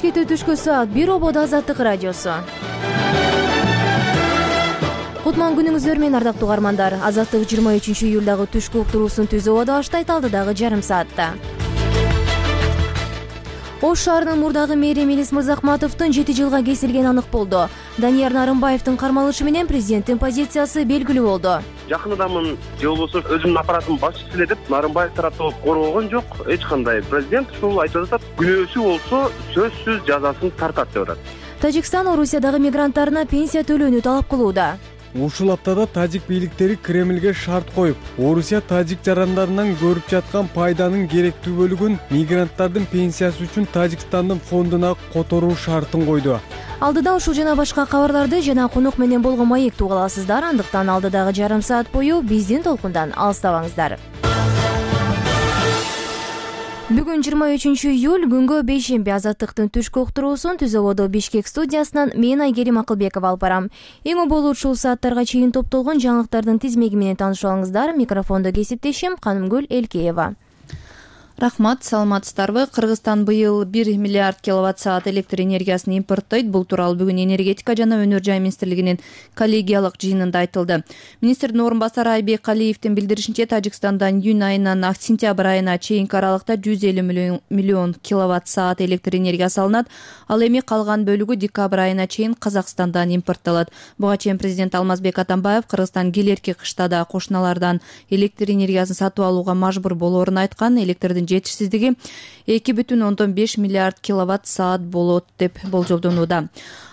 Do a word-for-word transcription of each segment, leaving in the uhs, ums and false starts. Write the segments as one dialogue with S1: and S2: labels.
S1: кетүү түшкү саат бир ободо Азаттык радиосу. Кутман күнүңүздөр менен, ардактуу угармандар. Азаттык жыйырма үчүнчү июлдагы түшкү уктуруусун түзүп ободо баштайт алдыдагы жарым саатта. Ош шаарынын мурдагы мэри Мелис Мырзахматовдун жети жылга кесилгени анык болду. Данияр Нарымбаевдин кармалышы менен президенттин позициясы белгилүү болду.
S2: Жакындамын же болбосо өзүмдүн аппаратымдын башчысы эле деп Нарымбаев тараптуу коргогон жок. Эч кандай. Президент ушул айтып атат, күнөөсү болсо сөзсүз жазасын тартат деп атат.
S1: Тажикстан Орусиядагы мигранттарына пенсия төлөөнү талап кылууда.
S3: Ушул аптада тажик бийликтери Кремлге шарт коюп, Орусия тажик жарандарынан көрүп жаткан пайданын керектүү бөлүгүн мигранттардын пенсиясы үчүн Тажикстандын фондуна которуу шартын койду.
S1: Алдыда ушул жана башка кабарларды жана конок менен болгон маекти уга аласыздар. Андыктан алдыдагы жарым саат бою биздин толкундан алыстабаңыздар. Бүгүн жыйырма үчүнчү июль күнгө бейшемби. Азаттыктын түшкү уктуруусун түзүп ободо Бишкек студиясынан мен Айгерим Акылбекова алып барам. Эң болот ушул сааттарга чейин топтолгон жаңылыктардын тизмеги менен таанышып алыңыздар. Микрофондо кесиптешим Канымгүл Элкеева.
S4: Рахмат, саламатсыздарбы? Кыргызстан быйыл бир миллиард киловатт саат электр энергиясын импорттойт. Бул тууралуу бүгүн энергетика жана өнөр жай министрлигинин коллегиялык жыйынында айтылды. Министрдин орун басары Айбек Калиевдин билдиришинче, Тажикстандан июнь айынан сентябрь айына чейинки аралыкта жүз элүү миллион киловатт саат электр энергиясы алынат. Ал эми калган бөлүгү декабрь айына чейин Казакстандан импорттолот. Буга чейин президент Алмазбек Атамбаев Кыргызстан келерки кышта да кошуналардан электр энергиясын сатып алууга мажбур болоорун айткан. Электрдин жетишсиздиги эки бүтүн ондон беш миллиард киловатт саат болот деп болжолдонууда.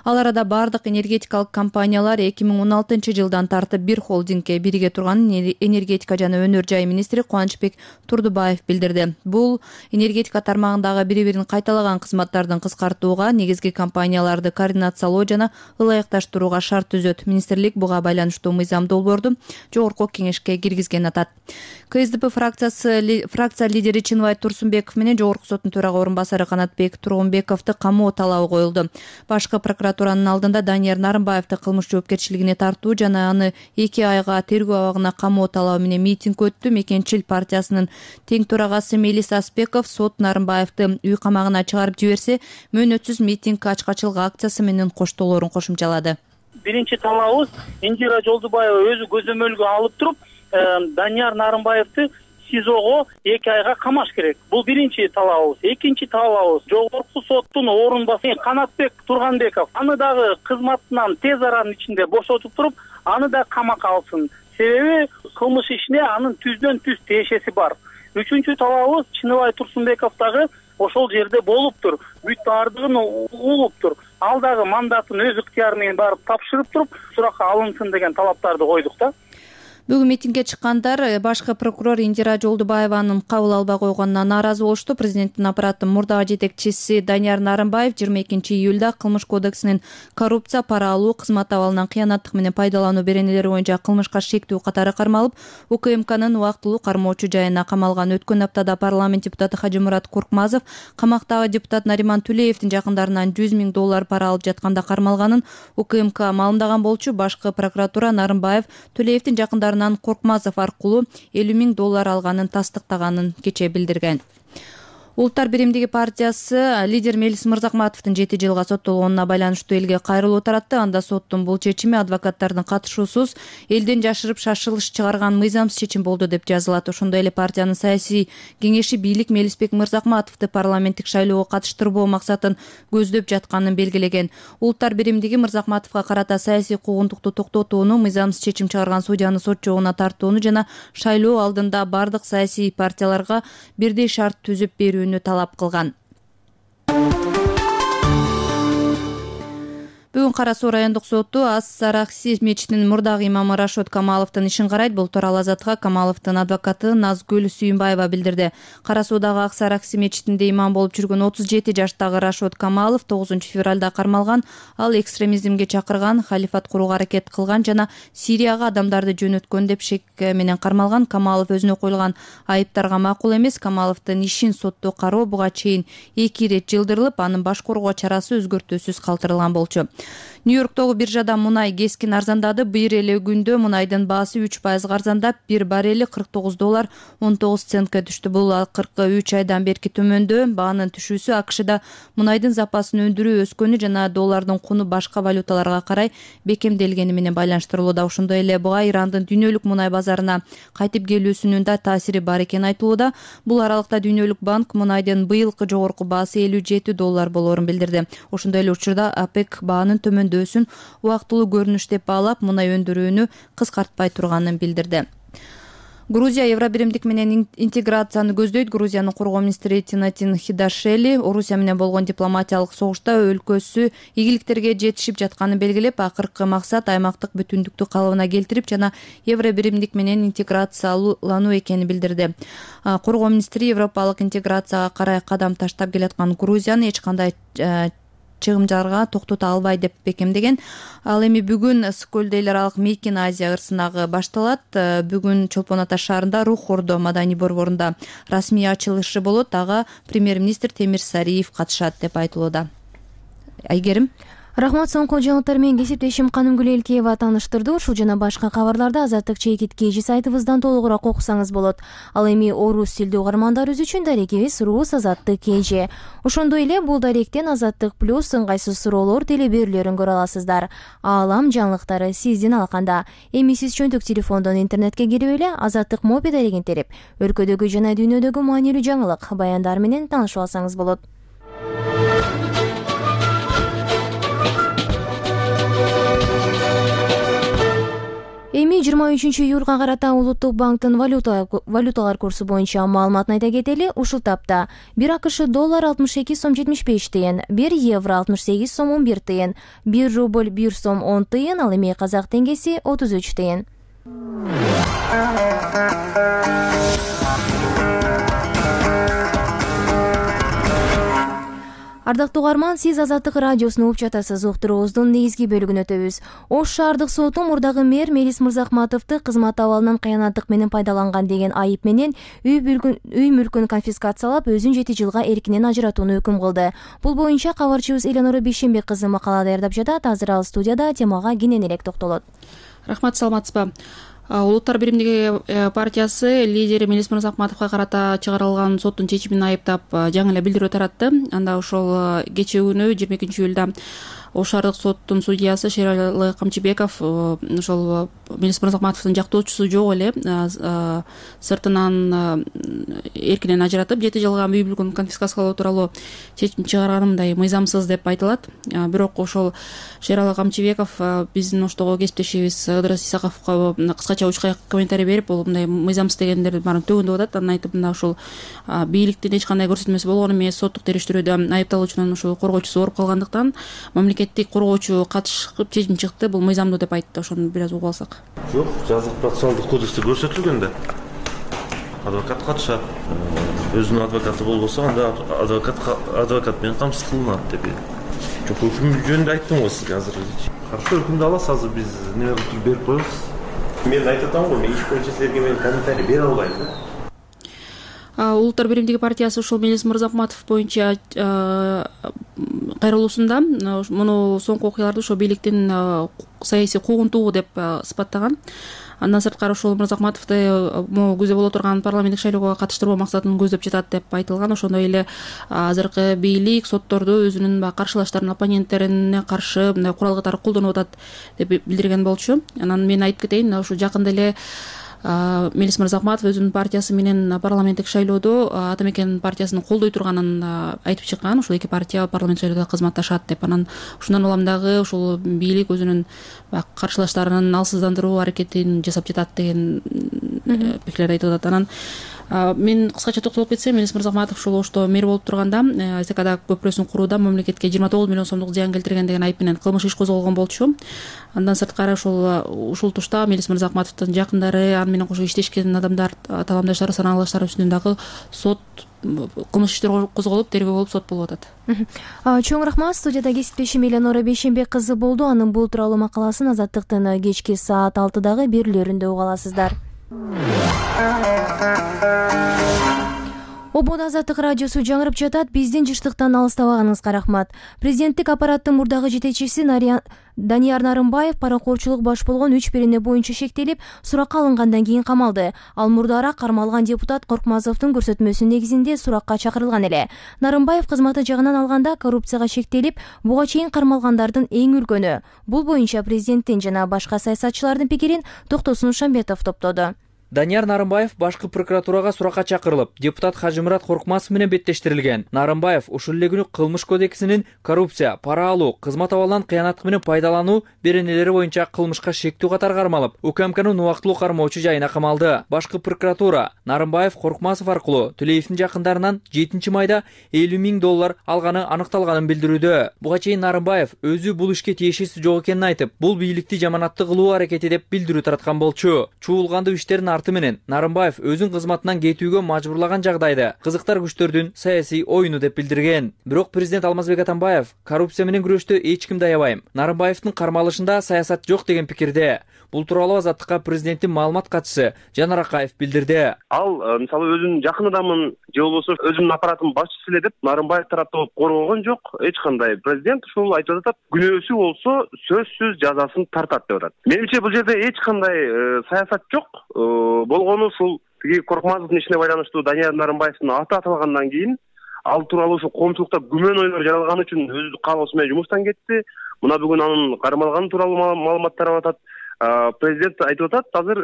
S4: Ал арада бардык энергетикалык компаниялар эки миң он алтынчы жылдан тартып бир холдингке бириге турганын энергетика жана өнөр жай министри Кубанычбек Турдубаев билдирди. Бул энергетика тармагындагы бири-бирин кайталаган кызматтардын кыскартууга, негизги компанияларды координациялоо жана ылайыкташтырууга шарт түзөт. Министрлик буга байланыштуу мыйзам долбоорду жогорку кеңешке киргизген атат. КСДП фракциясы фракция лидери Чыныбай Турсунбеков менен Жогорку соттун төрага орун басары Канатбек Тургунбековду камоо талабы коюлду. Башкы прокуратуранын алдында Данияр Нарымбаевди кылмыш жоопкерчилигине тартуу жана аны эки айга тергөө абагына камоо талабы менен митинг өттү. Мекенчил партиясынын тең төрагасы Мелис Аспеков сот Нарымбаевди үй камагына чыгарып жиберсе, мөөнөтсүз митинг ачкачылык акциясы менен коштоолорун кошумчалады.
S5: Биринчи талабыбыз Индира Жолдубаева өзү көзөмөлгө алып туруп, Данияр Нарымбаевди СИЗОго эки айга камаш керек. Бул биринчи талабыбыз. Экинчи талабыбыз жогорку соттун орун басары Канатбек Тургунбеков аны дагы кызматынан тез аранын ичинде бошотуп туруп, аны да камакка алсын. Себеби кылмыш ишине анын түздөн түз тиешеси бар. Үчүнчү талабыбыз Чыныбай Турсунбеков дагы ошол жерде болуптур. Бүт баардыгын угуптур. Ал дагы мандатын өз ыктыяры менен барып тапшырып туруп, суракка алынсын деген талаптарды койдук да.
S4: Бүгүн митингге чыккандар башкы прокурор Индира Жолдубаеванын кабыл албай койгонуна нааразы болушту. Президенттин аппараттын мурдагы жетекчиси Данияр Нарымбаев жыйырма экинчи июлда кылмыш кодексинин коррупция, пара алуу, кызмат абалынан кыянаттык менен пайдалануу беренелери боюнча кылмышка шектүү катары кармалып, УКМКнын убактылуу кармоочу жайына камалган. Өткөн аптада парламент депутаты Хажимурат Куркмазов камактагы депутат Нариман Түлеевдин жакындарынан жүз миң доллар пара алып жатканда кармалганын УКМК маалымдаган болчу. Башкы прокуратура Нарымбаев Түлеевдин жакындарынан Коркмазов аркылуу элүү миң доллар алганын тастыктаганын кечээ билдирген. Улуттар биримдиги партиясы лидер Мелис Мырзахматовдун жети жылга соттолгонуна байланыштуу элге кайрылуу таратты. Анда соттун бул чечими адвокаттардын катышуусуз элден жашырып шашылыш чыгарган мыйзамсыз чечим болду деп жазылат. Ошондой эле партиянын саясий кеңеши бийлик Мелисбек Мырзахматовду парламенттик шайлоого катыштырбоо максатын көздөп жатканын белгилеген. Улуттар биримдиги Мырзахматовго карата саясий куугунтукту токтотууну, мыйзамсыз чечим чыгарган судьяны сот жообуна тартууну жана шайлоо алдында бардык саясий партияларга бирдей шарт түзүп берүү талап кылган. Бүгүн Кара Суу райондук соту Ас-Саракси мечитинин мурдагы имамы Рашод Камаловдун ишин карайт. Бул тууралуу Азаттыкка Камаловдун адвокаты Назгүл Сүйүнбаева билдирди. Кара Суудагы Ак-Саракси мечитинде имам болуп жүргөн отуз жети жаштагы Рашод Камалов тогузунчу февралда кармалган. Ал экстремизмге чакырган, халифат курууга аракет кылган жана Сирияга адамдарды жөнөткөн деп шек менен кармалган. Камалов өзүнө коюлган айыптарга макул эмес. Камаловдун ишин сотто кароо буга чейин эки ирет жылдырылып, анын баш коргоо чарасы өзгөртүүсүз калтырылган болчу. Нью-Йорктогу биржада мунай кескин арзандады. Бир эле күндө мунайдын баасы үч пайызга арзандап, бир баррели кырк тогуз доллар он тогуз центке түштү. Бул акыркы үч айдан берки төмөндөө. Баанын түшүүсү АКШда мунайдын запасын өндүрүү өскөнү жана доллардын куну башка валюталарга карай бекемделгени менен байланыштырылууда. Ошондой эле буга Ирандын дүйнөлүк мунай базарына кайтып келүүсүнүн да таасири бар экени айтылууда. Бул аралыкта Дүйнөлүк банк мунайдын быйылкы жогорку баасы элүү жети доллар болоорун билдирди. Ошондой эле учурда ОПЕК баанын төмөндөсүн убактылуу көрүнүш деп баалап, мунай өндүрүүнү кыскартпай турганын билдирди. Грузия Евробиримдик менен интеграцияны көздөйт. Грузиянын коргоо министри Тинатин Хидашели Орусия менен болгон дипломатиялык согушта өлкөсү ийгиликтерге жетишип жатканын белгилеп, акыркы максат аймактык бүтүндүктү калыбына келтирип жана Евробиримдик менен интеграциялануу экенин билдирди. Коргоо министри европалык интеграцияга карай кадам таштап келаткан Грузияны эч кандай чыгымдарга токтото албайт деп бекемдеген. Ал эми бүгүн Скөлдө эл аралык Мейкин Азия ырсынагы башталат. Бүгүн Чолпон Ата шаарында Рух Ордо маданий борборунда расмий ачылышы болот. Ага премьер-министр Темир Сариев катышат деп айтылууда. Айгерим.
S1: Рахмат, соңку жаңылыктар менен кесиптешим Канымгүл Элкеева тааныштырды. Ушул жана башка кабарларды Азаттык чекит кежи сайтыбыздан толугураак окусаңыз болот. Ал эми орус тилдүү угармандарыбыз үчүн дарегибиз Рус Азаттык кежи. Ошондой эле бул даректен Азаттык плюс ыңгайсыз суроолор теле берүүлөрүн көрө аласыздар. Аалам жаңылыктары сиздин алаканда. Эми сиз чөнтөк телефондон интернетке кирип эле Азаттык моби дарегин терип, өлкөдөгү жана дүйнөдөгү маанилүү жаңылык баяндар менен таанышып алсаңыз болот. Эми жыйырма үчүнчү июлга карата Улуттук банктын валюталар курсу боюнча маалыматын айта кетели. Ушул тапта бир АКШ доллар алтымыш эки сом жетимиш беш тыйын, бир евро алтымыш сегиз сом он бир тыйын, бир рубль бир сом он тыйын, ал эми казак теңгеси отуз үч тыйын. Ардактуу угарман, сиз Азаттык радиосуну угуп жатасыз. Уктуруубуздун негизги бөлүгүн өтөбүз. Ош шаардык соту мурдагы мэр Мелис Мырзахматовду кызмат абалынан кыянаттык менен пайдаланган деген айып менен үй мүлкүн конфискациялап, өзүн жети жылга эркинен ажыратууну өкүм кылды. Бул боюнча кабарчыбыз Эленора Бейшенбек кызы макала даярдап жатат. Азыр ал студияда темага кенен элек токтолот.
S6: Рахмат, саламатсызбы? Улуттар биримдиги партиясы лидери Мелис Мырзахматовго карата чыгарылган соттун чечимин айыптап жаңы эле билдирүү таратты. Анда ошол кечээ күнү жыйырма экинчи июлда Ош шаардык соттун судьясы Шералы Камчыбеков ошол Мелис Мырзахматовдун жактоочусу жок эле сыртынан эркинен ажыратып, жети жылга үй мүлкүн конфискациялоо тууралуу чечим чыгарганы мындай мыйзамсыз деп айтылат. Бирок ошол Шералы Камчыбеков биздин Оштогу кесиптешибиз Ыдырыс Исаковго кыскача учка комментарий берип, бул мындай мыйзамсыз дегендердин баарын төгүндүп атат. Анан айтып, мына ошол бийликтин эч кандай көрсөтмөсү болгон эмес, соттук териштирүүдө айыпталуучунун ушул коргоочусу ооруп калгандыктан мамлекеттик коргоочу катышып чечим чыкты, бул мыйзамдуу деп айтты. Ошону бир аз угуп алсак.
S7: Жок, жазык процессуалдык кодексте көрсөтүлгөн да. Адвокат катышат. Өзүнүн адвокаты болбосо, анда адвокат адвокат менен камсыз кылынат деп. Жок, өкүм жөнүндө айттым го сизге азыр. Каршы өкүмдү аласыз, азыр биз неме кылып берип коебуз. Мен айтып атам го, мен иш боюнча силерге мен комментарий бере албайм да.
S6: Улуттар биримдиги партиясы ушул Мелис Мырзахматов боюнча кайрылуусунда муну соңку окуяларды ошо бийликтин саясий куугунтугу деп сыпаттаган. Андан сырткары ошол Мырзахматовду могу күздө боло турган парламенттик шайлоого катыштырбоо максатын көздөп жатат деп айтылган. Ошондой эле азыркы бийлик сотторду өзүнүн каршылаштарын, оппоненттерине каршы мындай курал катары колдонуп атат деп билдирген болчу. Анан мен айтып кетейин, ушу жакында эле Мелис Мырзахматов өзүнүн партиясы менен парламенттик шайлоодо Ата Мекен партиясын колдой турганын айтып чыккан. Ушул эки партия парламент шайлоодо кызматташат деп. Анан ушундан улам дагы ушул бийлик өзүнүн каршылаштарын алсыздандыруу аракетин жасап жатат деген пикирлерди айтып атат. Анан мен кыскача токтолуп кетсем, Мелис Мырзахматов ушул Ошто мэр болуп турганда СКда көпүрөсүн курууда мамлекетке жыйырма тогуз миллион сомдук зыян келтирген деген айып менен кылмыш иш козголгон болчу. Андан сырткары ошол ушул тушта Мелис Мырзахматовдун жакындары, аны менен кошо иштешкен адамдар, талаамдаштары, санаалаштары үстүнөн дагы сот кылмыш иштер козголуп, тергөө болуп сот болуп атат.
S1: Чоң рахмат. Студияда кесиптешим Эленора Бейшенбек кызы болду. Анын бул тууралуу макаласын Азаттыктын кечки саат алтыдагы берүүлөрүндө уга аласыздар. Ободо Азаттык радиосу жаңырып жатат. Биздин жыштыктан алыстабаганыңызга рахмат. Президенттик аппараттын мурдагы жетекчиси Данияр Нарымбаев паракорчулук баш болгон үч берене боюнча шектелип, суракка алынгандан кийин камалды. Ал мурдараак кармалган депутат Коркмазовдун көрсөтмөсү негизинде суракка чакырылган эле. Нарымбаев кызматы жагынан алганда коррупцияга шектелип, буга чейин кармалгандардын эң үлкөнү. Бул боюнча президенттин жана башка саясатчылардын пикирин Токтосун Шамбетов топтоду.
S8: Данияр Нарымбаев башкы прокуратурага суракка чакырылып, депутат Хажымурат Коркмазов менен беттештирилген. Нарымбаев ушул эле күнү кылмыш кодексинин коррупция, пара алуу, кызмат абалынан кыянаттык менен пайдалануу беренелери боюнча кылмышка шектүү катары кармалып, УКМКнын убактылуу кармоочу жайына камалды. Башкы прокуратура Нарымбаев Коркмазов аркылуу Төлеевдин жакындарынан жетинчи майда элүү миң доллар алганы аныкталганын билдирүүдө. Буга чейин Нарымбаев өзү бул ишке тиешеси жок экенин айтып, бул бийликти жаманатты кылуу аракети деп билдирүү тараткан болчу. Чуулгандуу иштерин арты менен Нарымбаев өзүн кызматынан кетүүгө мажбурлаган жагдайда кызыктар күчтөрдүн саясий оюну деп билдирген. Бирок президент Алмазбек Атамбаев коррупция менен күрөштө эч кимди аябайм. Нарымбаевдин кармалышында саясат жок деген пикирде. Бул тууралуу Азаттыкка президенттин маалымат катчысы Жанар Акаев билдирди.
S2: Ал мисалы өзүнүн жакын адамын же болбосо өзүнүн аппаратынын башчысы эле деп Нарымбаев тараптуу коргогон жок. Эч кандай. Президент ушул айтып атат, күнөөсү болсо сөзсүз жазасын тартат деп атат. Менимче бул жерде эч кандай саясат жок. Болгону ушул тиги Коркмазовдун ишине байланыштуу Данияр Нарымбаевдин аты аталгандан кийин ал тууралуу ушул коомчулукта күмөн ойлор жаралганы үчүн өз каалоосу менен жумуштан кетти. Мына бүгүн анын кармалганы тууралуу маалымат тарап атат. Президент айтып атат, азыр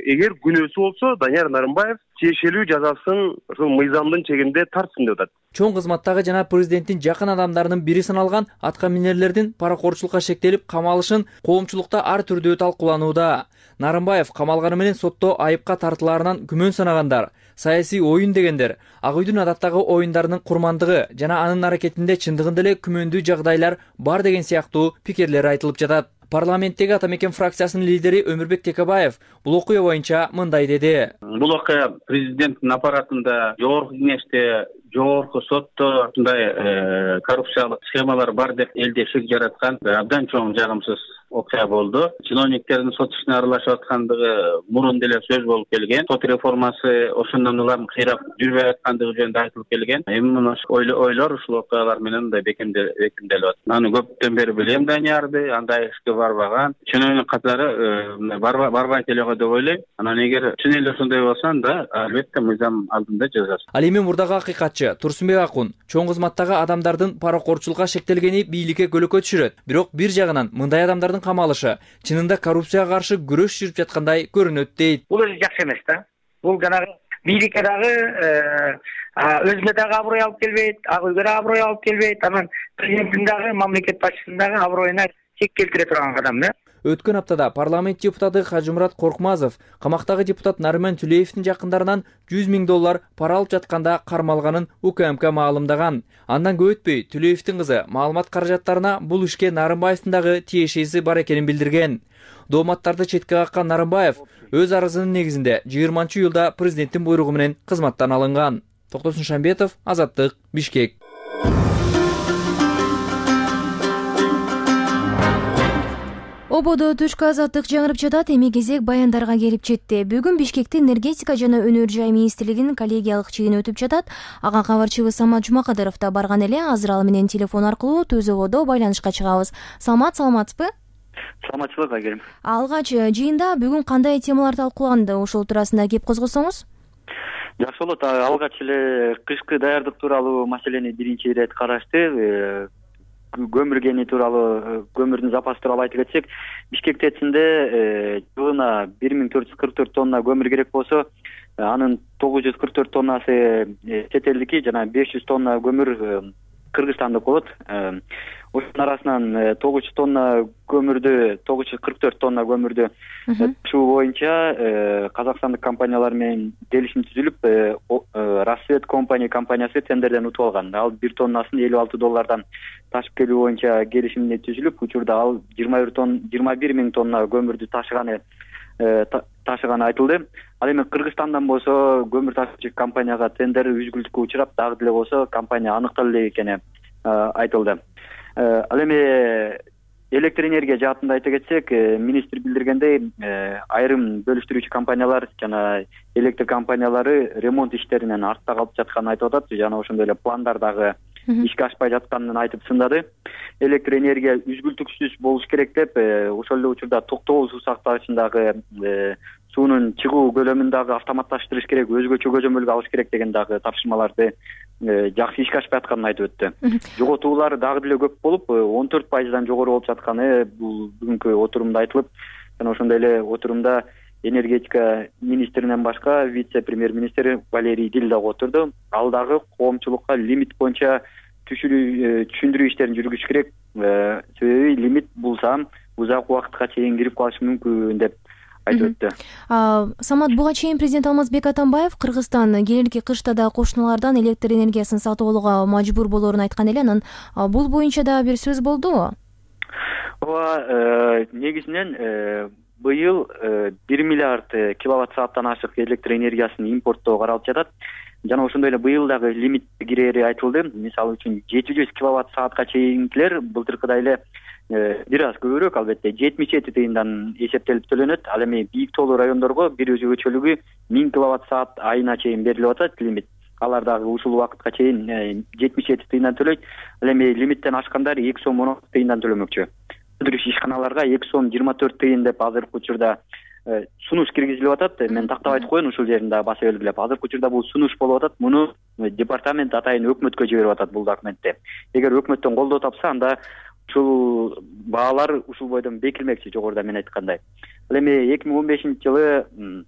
S2: эгер күнөөсү болсо Данияр Нарымбаев тиешелүү жазасын ушул мыйзамдын чегинде тартсын деп атат.
S8: Чоң кызматтагы жана президенттин жакын адамдарынын бири саналган атка минерлердин паракорчулукка шектелип камалышын коомчулукта ар түрдүү талкууланууда. Нарымбаев камалганы менен сотто айыпка тартылаарынан күмөн санагандар, саясий оюн дегендер, Ак үйдүн адаттагы оюндарынын курмандыгы жана анын аракетинде чындыгында эле күмөндүү жагдайлар бар деген сыяктуу пикирлер айтылып жатат. Парламенттеги Ата Мекен фракциясынын лидери Өмүрбек Текебаев бул окуя боюнча мындай деди.
S9: Бул окуя президенттин аппаратында, жогорку кеңеште, жогорку сотто ушундай коррупциялык схемалар бар деп элде шек жараткан абдан чоң жагымсыз окуя болду. Чиновниктердин сот ишине аралашып аткандыгы мурун деле сөз болуп келген. Сот реформасы ошондон улам кыйрап жүрбөй аткандыгы жөнүндө айтылып келген. Эми мына ойлор ушул окуялар менен да бекемделип атат. Аны көптөн бери билем Даниярды, андай ишке барбаган. Чиновник катары барбайт эле го деп ойлойм. Анан эгер чын эле ошондой болсо анда албетте мыйзам алдында жазасыз.
S8: Ал эми мурдагы акыйкатчы Турсунбек Акун чоң кызматтагы адамдардын паракорчулукка шектелгени бийликке көлөкө түшүрөт. Бирок бир жагынан мындай адамдардын камалышы чынында коррупцияга каршы күрөш жүрүп жаткандай көрүнөт дейт.
S10: Бул өзү жакшы эмес да. Бул жанагы бийликке дагы өзүнө дагы аброй алып келбейт, Ак үйгө дагы аброй алып келбейт. Анан президенттин дагы, мамлекет башчысынын дагы аброюна чек келтире турган адам да.
S8: Өткөн аптада парламент депутаты Хажымурат Коркмазов камактагы депутат Нарыман Төлеевдин жакындарынан жүз миң доллар пара алып жатканда кармалганын УКМК маалымдаган. Андан көп өтпөй Төлеевдин кызы маалымат каражаттарына бул ишке Нарымбаевдин дагы тиешеси бар экенин билдирген. Дооматтарды четке каккан Нарымбаев өз арызынын негизинде жыйырманчы июлда президенттин буйругу менен кызматтан алынган. Токтосун Шамбетов, Азаттык, Бишкек.
S1: Ободо түшкү азаттык жаңырып жатат. Эми кезек баяндарга келип жетти. Бүгүн Бишкекте энергетика жана өнөр жай министрлигинин коллегиялык жыйыны өтүп жатат. Ага кабарчыбыз Самат Жумакадыров да барган эле. Азыр ал менен телефон аркылуу Түз Ободо байланышка чыгабыз. Самат, саламатсызбы?
S11: Саламатчылык айгерим.
S1: Алгач жыйында бүгүн кандай темалар талкууланды? Ошол туурасында кеп козгосоңуз.
S11: Жакшы болот. Алгач эле кышкы даярдык тууралуу маселени биринчи ирет карашты. Көмүр кени тууралуу, көмүрдүн запасы тууралуу айтып кетсек, Бишкек ТЭЦинде жылына бир миң төрт жүз кырк төрт тонна көмүр керек болсо, анын тогуз жүз кырк төрт тоннасы чет элдики жана беш жүз тонна көмүр Кыргызстандык болот. Ошонун арасынан тогуз жүз тонна көмүрдү, тогуз жүз кырк төрт тонна көмүрдү ташуу боюнча казакстандык компаниялар менен келишим түзүлүп, Рассвет компания компаниясы тендерден утуп алган. Ал бир тоннасын элүү алты доллардан ташып келүү боюнча келишимде түзүлүп, учурда ал жыйырма бир миң тонна көмүрдү ташыганы ташыганы айтылды. Ал эми Кыргызстандан болсо көмүр ташуучу компанияга тендер үзгүлтүккө учурап, дагы деле болсо компания аныкталды экени айтылды. Ал эми электр энергия жаатында айта кетсек, министр билдиргендей, айрым бөлүштүрүүчү компаниялар жана электр компаниялары ремонт иштеринен артта калып жатканын айтып атат жана ошондой эле пландар дагы ишке ашпай жатканын айтып сындады. Электр энергия үзгүлтүксүз болуш керек деп, ошол эле учурда токтогул суу сактагычындагы суунун чыгуу көлөмүн дагы автоматташтырыш керек, өзгөчө көзөмөлгө алыш керек деген дагы тапшырмаларды жакшы ишке ашпай атканын айтып өттү. Жоготуулар дагы деле көп болуп, он төрт пайыздан жогору болуп жатканы бул бүгүнкү отурумда айтылып, жана ошондой эле отурумда энергетика министринен башка вице-премьер-министр Валерий Дил дагы отурду. Ал дагы коомчулукка лимит боюнча түшүндүрүү иштерин жүргүзүш керек. Себеби лимит булса узак убакытка чейин кирип калышы мүмкүн деп айтып өттү.
S1: Самат, буга чейин президент Алмазбек Атамбаев Кыргызстан келерки кышта да кошуналардан электр энергиясын сатып алууга мажбур болоорун айткан эле. Анан бул боюнча дагы бир сөз болдубу?
S11: Ооба, негизинен быйыл бир миллиард киловатт сааттан ашык электр энергиясын импорттоо каралып жатат. Жана ошондой эле быйыл дагы лимит кирери айтылды. Мисалы үчүн жети жүз киловатт саатка чейинкилер былтыркыдай эле бир аз көбүрөөк, албетте жетимиш жети тыйындан эсептелип төлөнөт. Ал эми бийик тоолуу райондорго бир өзгөчөлүгү миң киловатт саат айына чейин берилип атат лимит. Алар дагы ушул убакытка чейин жетимиш жети тыйындан төлөйт. Ал эми лимиттен ашкандар эки сом он алты тыйындан төлөмөкчү. Өндүрүш ишканаларга эки сом жыйырма төрт тыйын деп азыркы учурда сунуш киргизилип атат. Мен тактап айтып коеюн, ушул жерин дагы баса белгилеп. Азыркы учурда бул сунуш болуп атат. Муну департамент атайын өкмөткө жиберип атат бул документти. Эгер өкмөттөн колдоо тапса, анда ушул баалар ушул бойдон бекилмекчи, жогоруда мен айткандай. Ал эми эки миң он бешинчи жылы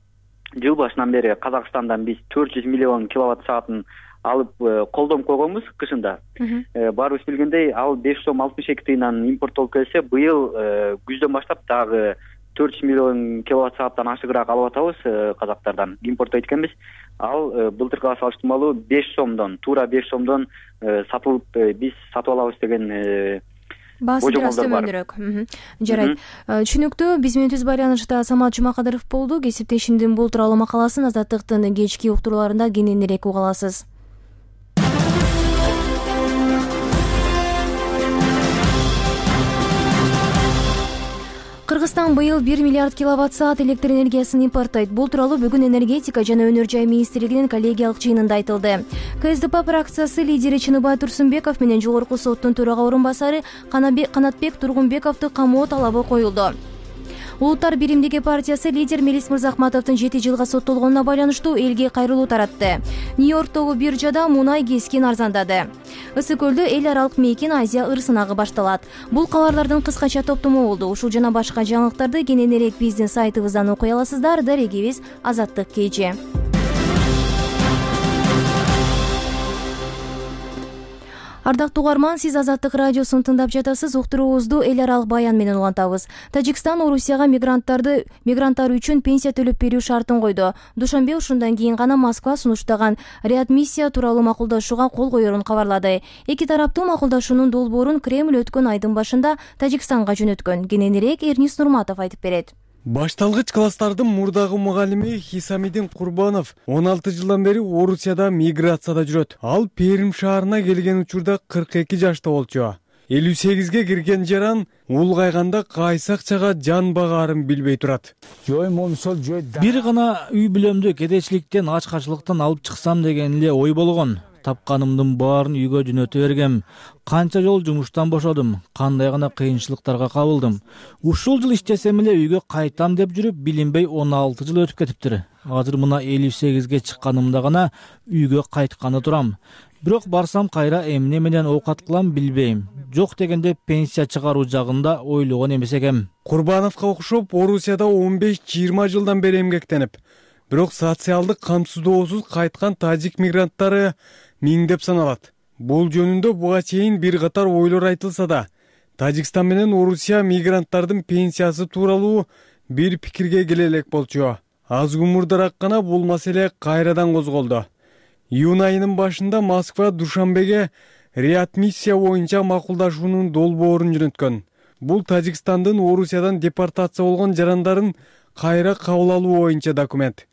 S11: жыл башынан бери Казакстандан биз төрт жүз миллион киловатт саатын алып колдонуп койгонбуз кышында. Баарыбыз билгендей, ал беш сом алтымыш эки тыйындан импорттолуп келсе, быйыл күздөн баштап дагы төрт жүз миллион киловатт сааттан ашыгыраак алып атабыз казактардан, импорттойт экенбиз. Ал былтыркыга салыштырмалуу беш сомдон, туура беш сомдон сатылып, биз сатып алабыз деген
S1: баасы бир аз төмөнүрөөк. Жарайт. Түшүнүктүү. Биз менен түз байланышта Самат Жумакадыров болду. Кесиптешимдин бул тууралуу макаласын Азаттыктын кечки уктурууларында кененирээк уга аласыз. Кыргызстан быйыл бир миллиард киловатт саат электр энергиясын импорттойт. Бул тууралуу бүгүн энергетика жана өнөр жай министрлигинин коллегиялык жыйынында айтылды. КСДП фракциясы лидери Чыныбай Турсунбеков менен жогорку соттун төрага орун басары Канатбек Тургунбековду камоо талабы коюлду. Улуттар биримдиги партиясы лидер Мелис Мырзахматовдун жети жылга соттолгонуна байланыштуу элге кайрылуу таратты. Нью-Йорктогу биржада мунай кескен арзандады. Ысык көлдө эл аралык мейкин Азия ыр сынагы башталат. Бул кабарлардын кыскача топтому болду. Ушул жана башка жаңылыктарды кененирээк биздин сайтыбыздан окуй аласыздар. Дарегибиз Азаттык кей. Ардактуу угарман, сиз Азаттык радиосун тыңдап жатасыз. Уктуруубузду эл аралык баян менен улантабыз. Тажикстан Орусияга мигранттарды мигранттар үчүн пенсия төлөп берүү шартын койду. Душанбе ушундан кийин гана Москва сунуштаган реадмиссия тууралуу макулдашууга кол коерун кабарлады. Эки тараптуу макулдашуунун долбоорун Кремль өткөн айдын башында Тажикстанга жөнөткөн. Кененирээк Эрнис Нурматов айтып берет.
S3: Башталгыч класстардын мурдагы мугалими Хисамидин Курбанов он алты жылдан бери Орусияда миграцияда жүрөт. Ал Перим шаарына келген учурда кырк эки жашта болчу. элүү сегизге кирген жаран улгайганда кайсы акчага жан багаарын билбей турат.
S12: Бир гана үй бүлөмдү кедейчиликтен, ачкачылыктан алып чыксам деген эле ой болгон. Тапканымдын баарын үйгө жөнөтө бергем. Канча жол жумуштан бошодум, кандай гана кыйынчылыктарга кабылдым. Ушул жыл иштесем эле үйгө кайтам деп жүрүп, билинбей он алты жыл өтүп кетиптир. Азыр мына элүү сегизге чыкканымда гана үйгө кайтканы турам. Бирок барсам кайра эмне менен оокат кылам билбейм. Жок дегенде пенсия чыгаруу жагында ойлогон эмес экем.
S3: Курбановго окшоп Орусияда он беш жыйырма жылдан бери эмгектенип, бирок социалдык камсыздоосуз кайткан тажик мигранттары миңдеп саналат. Бул жөнүндө буга чейин бир катар ойлор айтылса да, Тажикстан менен Орусия мигранттардын пенсиясы тууралуу бир пикирге келе элек болчу. Аз умурдараак гана бул маселе кайрадан козголду. Июнь айынын башында Москва Душанбеге реадмиссия боюнча макулдашуунун долбоорун жөнөткөн. Бул Тажикстандын Орусиядан депортация болгон жарандарын кайра кабыл алуу боюнча документ.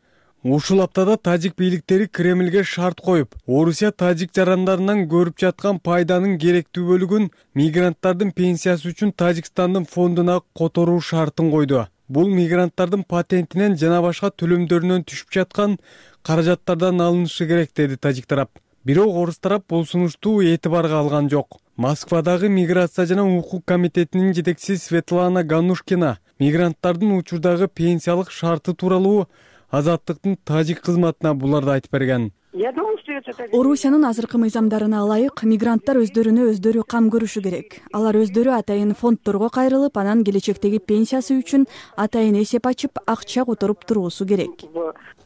S3: Ушул аптада тажик бийликтери Кремлге шарт коюп, Орусия тажик жарандарынан көрүп жаткан пайданын керектүү бөлүгүн мигранттардын пенсиясы үчүн Тажикстандын фондуна которуу шартын койду. Бул мигранттардын патентинен жана башка төлөмдөрүнөн түшүп жаткан каражаттардан алынышы керек, деди тажик тарап. Бирок орус тарап бул сунушту этибарга алган жок. Москвадагы миграция жана укук комитетинин жетекчиси Светлана Ганушкина мигранттардын учурдагы пенсиялык шарты тууралуу Азаттыктын тажик кызматына буларды айтып берген.
S13: Орусиянын азыркы мыйзамдарына ылайык мигранттар өздөрүнө өздөрү кам көрүшү керек. Алар өздөрү атайын фонддорго кайрылып, анан келечектеги пенсиясы үчүн атайын эсеп ачып, акча которуп туруусу керек.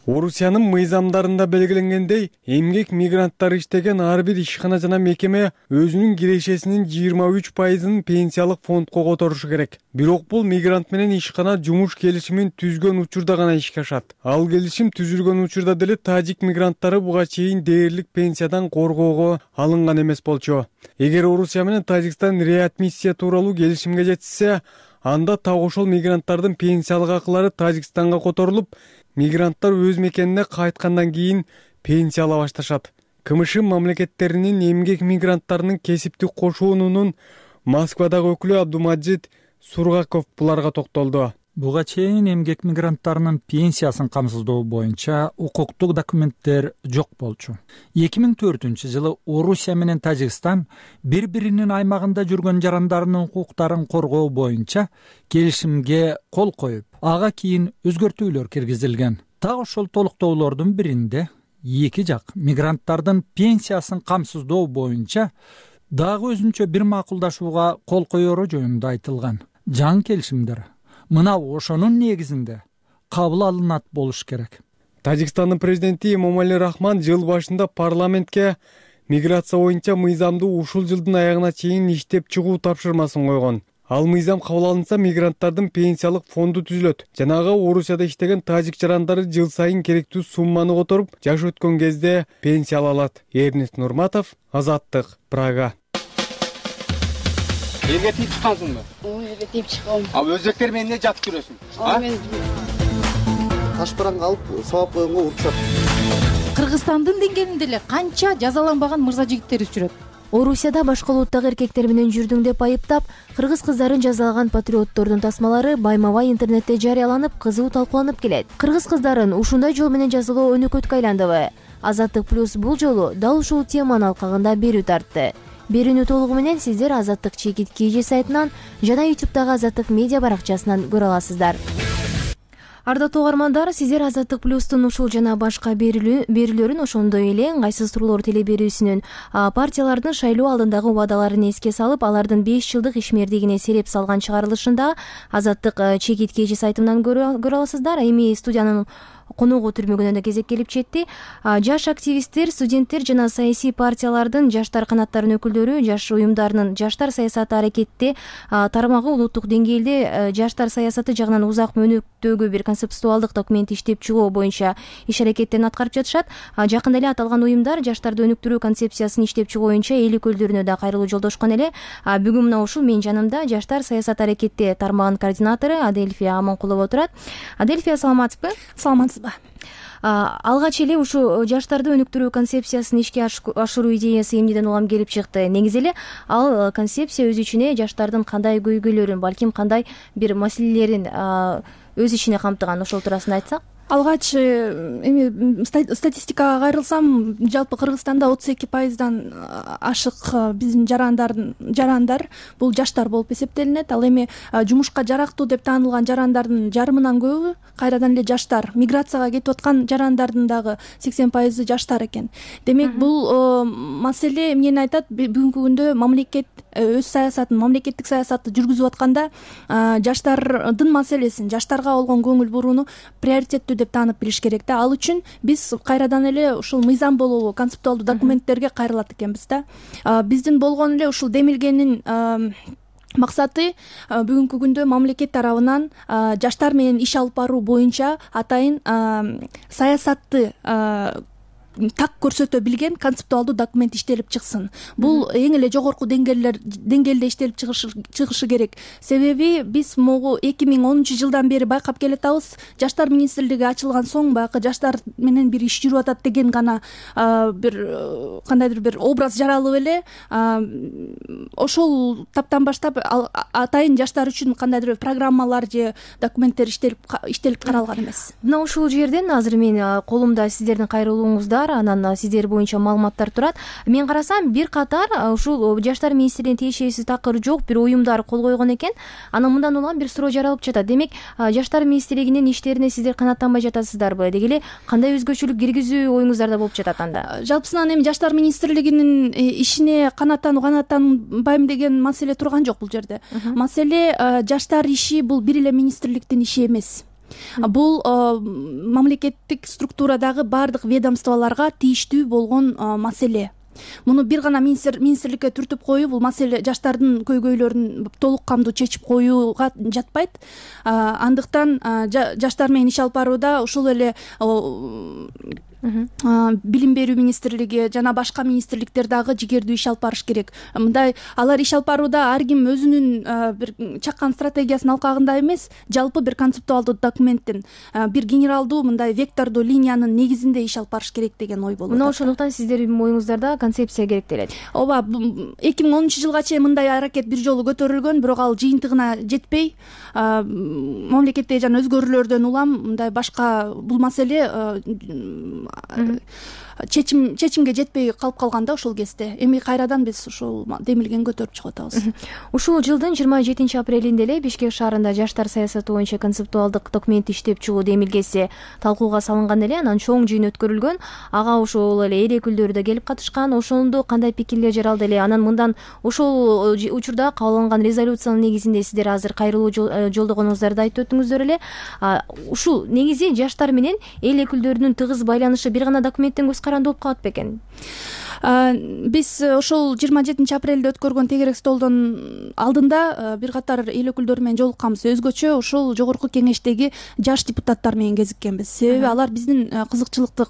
S3: Орусиянын мыйзамдарында белгиленгендей, эмгек мигранттары иштеген ар бир ишкана жана мекеме өзүнүн кирешесинин жыйырма үч пайызын пенсиялык фондко которушу керек. Бирок бул мигрант менен ишкана жумуш келишимин түзгөн учурда гана ишке ашат. Ал келишим түзүлгөн учурда деле тажик мигранттары буга чейин дээрлик пенсиядан коргоого алынган эмес болчу. Эгер Орусия менен Тажикстан реадмиссия тууралуу келишимге жетишсе, анда так ошол мигранттардын пенсиялык акылары Тажикстанга которулуп, мигранттар өз мекенине кайткандан кийин пенсия ала башташат. КМШ мамлекеттеринин эмгек мигранттарынын кесиптик кошуунунун Москвадагы өкүлү Абдумаджид Сургаков буларга токтолду.
S14: Буга чейин эмгек мигранттарынын пенсиясын камсыздоо боюнча укуктук документтер жок болчу. эки миң төртүнчү жылы Орусия менен Тажикстан бири-биринин аймагында жүргөн жарандарынын укуктарын коргоо боюнча келишимге кол коюп, ага кийин өзгөртүүлөр киргизилген. Так ошол толуктоолордун биринде эки жак мигранттардын пенсиясын камсыздоо боюнча дагы өзүнчө бир макулдашууга кол коеру жөнүндө айтылган. Жаңы келишимдер мына ошонун негизинде кабыл алынат болуш керек.
S3: Тажикстандын президенти Эмомали Рахман жыл башында парламентке миграция боюнча мыйзамды ушул жылдын аягына чейин иштеп чыгуу тапшырмасын койгон. Ал мыйзам кабыл алынса, мигранттардын пенсиялык фонду түзүлөт. Жанагы Орусияда иштеген тажик жарандары жыл сайын керектүү сумманы которуп, жаш өткөн кезде пенсия ала алат. Эрнест Нурматов, Азаттык, Прага.
S15: Элге тийип чыккансыңбы?
S16: Элге тийип чыккам.
S15: А өзбектер менен эмне жатып жүрөсүң?
S17: Таш бараңга алып сабап койгонго уруксат.
S16: Кыргызстандын деңгээлинде эле канча жазаланбаган мырза жигиттерибиз жүрөт.
S1: Орусияда башка улуттагы эркектер менен жүрдүң деп айыптап, кыргыз кыздарын жазалаган патриоттордун тасмалары байма-бай интернетте жарыяланып, кызуу талкууланып келет. Кыргыз кыздарын ушундай жол менен жазалоо өнөкөткө айландыбы? Азаттык плюс бул жолу дал ушул теманын алкагында берүү тартты. Берүүнү толугу менен сиздер Азаттык чекит кж сайтынан жана ютубтагы Азаттык медиа баракчасынан көрө аласыздар. Ардаттуу угармандар, сиздер Азаттык плюстун ушул жана башка берүүлөрүн, ошондой эле ыңгайсыз туруулор телеберүүсүнүн партиялардын шайлоо алдындагы убадаларын эске салып, алардын беш жылдык ишмердигине сереп салган чыгарылышында Азаттык чекит кж сайтынан көрө аласыздар. Эми студиянын коногу түрмөгүнөн да кезек келип жетти. Жаш активисттер, студенттер жана саясий партиялардын жаштар канаттарынын өкүлдөрү жаш уюмдарынын жаштар саясаты аракетти тармагы улуттук деңгээлде жаштар саясаты жагынан узак мөөнөттөгү бир концептуалдык документ иштеп чыгуу боюнча иш аракеттерин аткарып жатышат. Жакында эле аталган уюмдар жаштарды өнүктүрүү концепциясын иштеп чыгуу боюнча эл өкүлдөрүнө да кайрылуу жолдошкон эле. Бүгүн мына ушул менин жанымда жаштар саясаты аракетти тармагынын координатору Адельфия Аманкулова отурат. Адельфия, саламатсызбы?
S13: Саламатсызбы.
S1: Алгач эле ушу жаштарды өнүктүрүү концепциясын ишке ашыруу идеясы эмнеден улам келип чыкты? Негизи эле ал концепция өз ичине жаштардын кандай көйгөйлөрүн, балким кандай бир маселелерин өз ичине камтыган, ошол туурасында айтсак?
S13: Алгач эми статистикага кайрылсам, жалпы Кыргызстанда отуз эки пайыздан ашык биздин жарандардын жарандар бул жаштар болуп эсептелинет. Ал эми жумушка жарактуу деп таанылган жарандардын жарымынан көбү кайрадан эле жаштар. Миграцияга кетип аткан жарандардын дагы сексен пайызы жаштар экен. Демек, бул маселе эмнени айтат? Бүгүнкү күндө мамлекет өз саясатын, мамлекеттик саясатты жүргүзүп атканда жаштардын маселесин, жаштарга болгон көңүл бурууну приоритеттүү деп таанып билиш керек да. Ал үчүн биз кайрадан эле ушул мыйзам болобу, концептуалдуу документтерге кайрылат экенбиз да. Биздин болгон эле ушул демилгенин максаты бүгүнкү күндө мамлекет тарабынан жаштар менен иш алып баруу боюнча атайын саясатты так көрсөтө билген концептуалдуу документ иштелип чыксын. Бул эң эле жогорку деңгээлдер деңгээлде иштелип чыгышы керек. Себеби биз могу эки миң онунчу жылдан бери байкап келатабыз. Жаштар министрлиги ачылган соң баягы жаштар менен бир иш жүрүп атат деген гана бир кандайдыр бир образ жаралып эле ошол таптан баштап атайын жаштар үчүн кандайдыр бир программалар же документтер иштелип иштелип каралган эмес.
S1: Мына ушул жерден азыр мен колумда сиздердин кайрылууңуздар, анан сиздер боюнча маалыматтар турат. Мен карасам бир катар ушул жаштар министрлигине тиешеси такыр жок бир уюмдар кол койгон экен. Анан мындан улам бир суроо жаралып жатат. Демек, жаштар министрлигинин иштерине сиздер канааттанбай жатасыздарбы? Деги эле кандай өзгөчөлүк киргизүү оюңуздарда болуп жатат анда?
S13: Жалпысынан эми жаштар министрлигинин ишине канааттануу канааттанбайм деген маселе турган жок бул жерде. Маселе жаштар иши бул бир эле министрликтин иши эмес. Бул мамлекеттик структурадагы баардык ведомстволорго тийиштүү болгон маселе. Муну бир гана министрликке түртүп коюу бул маселе жаштардын көйгөйлөрүн толук камдуу чечип коюуга жатпайт. Андыктан жаштар менен иш алып барууда ушул эле билим берүү министрлиги жана башка министрликтер дагы жигердүү иш алып барыш керек. Мындай алар иш алып барууда ар ким өзүнүн бир чаккан стратегиясын алкагында эмес, жалпы бир концептуалдуу документтин бир генералдуу мындай вектордуу линиянын негизинде иш алып барыш керек деген ой болуп атат.
S1: Мына ошондуктан сиздердин оюңуздарда концепция керектелет.
S13: Ооба, эки миң онунчу жылга чейин мындай аракет бир жолу көтөрүлгөн, бирок ал жыйынтыгына жетпей, мамлекеттеги жана өзгөрүүлөрдөн улам мындай башка бул маселе чечим чечимге жетпей калып калганда ошол кезде эми кайрадан биз ушул демилгени көтөрүп чыгып атабыз.
S1: Ушул жылдын жыйырма жетинчи апрелинде эле Бишкек шаарында жаштар саясаты боюнча концептуалдык документ иштеп чыгуу демилгеси талкууга салынган эле, анан чоң жыйын өткөрүлгөн. Ага ошол эле эл өкүлдөрү да келип катышкан. Ошондо кандай пикирлер жаралды эле? Анан мындан ошол учурда кабыл алынган резолюциянын негизинде сиздер азыр кайрылуу жолдогонуңуздарды айтып өттүңүздөр эле. Ушул негизи жаштар менен эл өкүлдөрүнүн тыгыз байланышы бир гана документтен көз каранды болуп калат бекен?
S13: Биз ошол жыйырма жетинчи апрелде өткөргөн тегерек столдон алдында бир катар эл өкүлдөрү менен жолукканбыз. Өзгөчө ошол жогорку кеңештеги жаш депутаттар менен кезиккенбиз. Себеби алар биздин кызыкчылыкты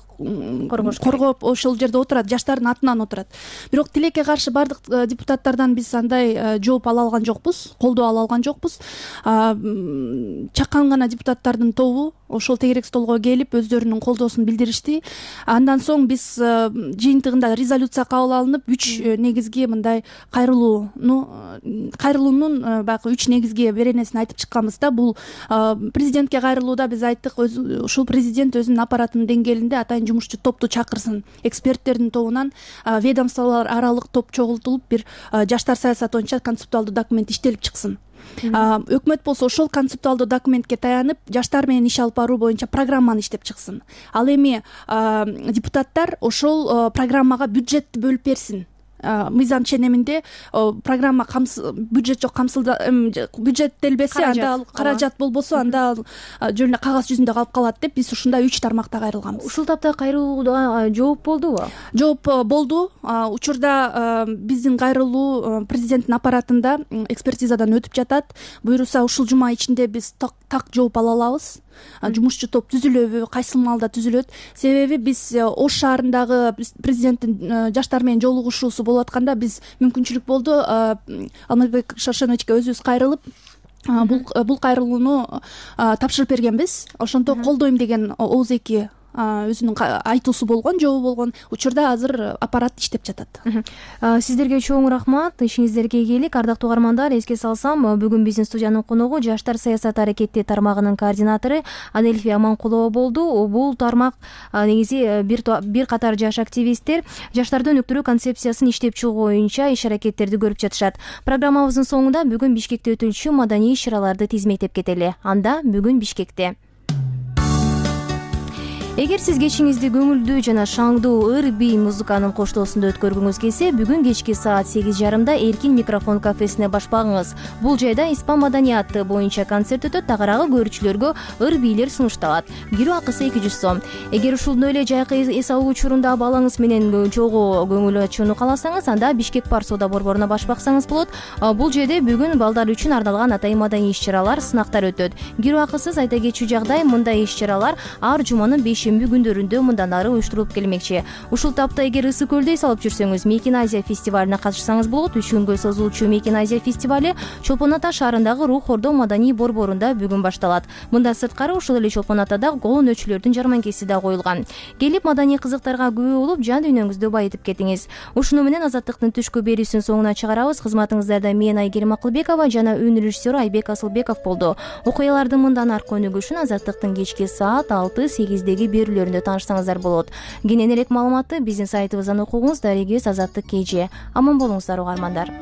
S13: коргоп ошол жерде отурат, жаштардын атынан отурат. Бирок тилекке каршы баардык депутаттардан биз андай жооп ала алган жокпуз, колдоо ала алган жокпуз. Чакан гана депутаттардын тобу ошол тегерек столго келип өздөрүнүн колдоосун билдиришти. Андан соң биз жыйынтыгында резолюция кабыл алынып, үч негизги мындай кайрылууну кайрылуунун баягы үч негизги беренесин айтып чыкканбыз да. Бул президентке кайрылууда биз айттык, ушул президент өзүнүн аппаратынын деңгээлинде атайын жумушчу топту чакырсын. Эксперттердин тобунан ведомстволор аралык топ чогултулуп, бир жаштар саясаты боюнча концептуалдуу документ иштелип чыксын. Өкмөт болсо ошол концептуалдуу документке таянып, жаштар менен иш алып баруу боюнча программаны иштеп чыксын. Ал эми депутаттар ошол программага бюджетти бөлүп берсин. Мыйзам ченеминде программа бюджет жок камсылда бюджеттелбесе, анда ал каражат болбосо, анда ал жөн эле кагаз жүзүндө калып калат деп биз ушундай үч тармакта кайрылганбыз.
S1: Ушул тапта кайрылууга жооп болдубу?
S13: Жооп болду. Учурда биздин кайрылуу президенттин аппаратында экспертизадан өтүп жатат. Буюрса ушул жума ичинде биз так жооп ала алабыз. Жумушчу топ түзүлөбү, кайсы маалда түзүлөт? Себеби биз Ош шаарындагы президенттин жаштар менен жолугушуусу болуп атканда биз мүмкүнчүлүк болду Алмазбек Шаршеновичке өзүбүз кайрылып бул кайрылууну тапшырып бергенбиз. Ошондо колдойм деген ооз эки өзүнүн айтуусу болгон, жообу болгон. Учурда азыр аппарат иштеп жатат.
S1: Сиздерге чоң рахмат, ишиңиздерге ийгилик. Ардактуу угармандар, эске салсам, бүгүн биздин студиянын коногу жаштар саясаты аракети тармагынын координатору Анельфия Аманкулова болду. Бул тармак негизи бир бир катар жаш активисттер жаштарды өнүктүрүү концепциясын иштеп чыгуу боюнча иш аракеттерди көрүп жатышат. Программабыздын соңунда бүгүн Бишкекте өтүлчү маданий иш-чараларды тизмектеп кетели. Анда бүгүн Бишкекте. Эгер сиз кечиңизди көңүлдүү жана шаңдуу ыр-бий музыканын коштоосунда өткөргүңүз келсе, бүгүн кечки саат сегиз жарымда Эркин микрофон кафесине башпагыңыз. Бул жайда испан маданияты боюнча концерт өтөт, тагыраагы көрүүчүлөргө ыр-бийлер сунушталат. Кирүү акысы эки жүз сом. Эгер ушундай эле жайкы эс алуу учурунда балаңыз менен чогуу көңүл ачууну кааласаңыз, анда Бишкек Парк соода борборуна башпаксаңыз болот. Бул жерде бүгүн балдар үчүн арналган атайын маданий иш-чаралар, сынактар өтөт. Кирүү акысыз. Айта кетчү жагдай, мындай иш-чаралар ар жуманын беш шейшемби күндөрүндө мындан ары уюштурулуп келмекчи. Ушул тапта эгер ысык көлдө эс алып жүрсөңүз, Мейкин Азия фестивалине катышсаңыз болот. Үч күнгө созулуучу Мейкин Азия фестивали Чолпон Ата шаарындагы Рух Ордо маданий борборунда бүгүн башталат. Мындан сырткары ушул эле Чолпон Атада колонөөчүлөрдүн жарманкеси да коюлган. Келип маданий кызыктарга күбө болуп, жан дүйнөңүздү байытып кетиңиз. Ушуну менен Азаттыктын түшкү берүүсүнүн соңуна чыгарабыз. Кызматыңыздарда мен Айгерим Акылбекова жана өнөр режиссеру Айбек Асылбеков болду. Окуялардын мындан аркы өнүгүшүн Азаттыктын кечки саат алты сегиздеги берүүлөрүндө таанышсаңыздар болот. Кененирээк маалыматты биздин сайтыбыздан окуңуз. Дарегибиз Азаттык кей же. Аман болуңуздар угармандар.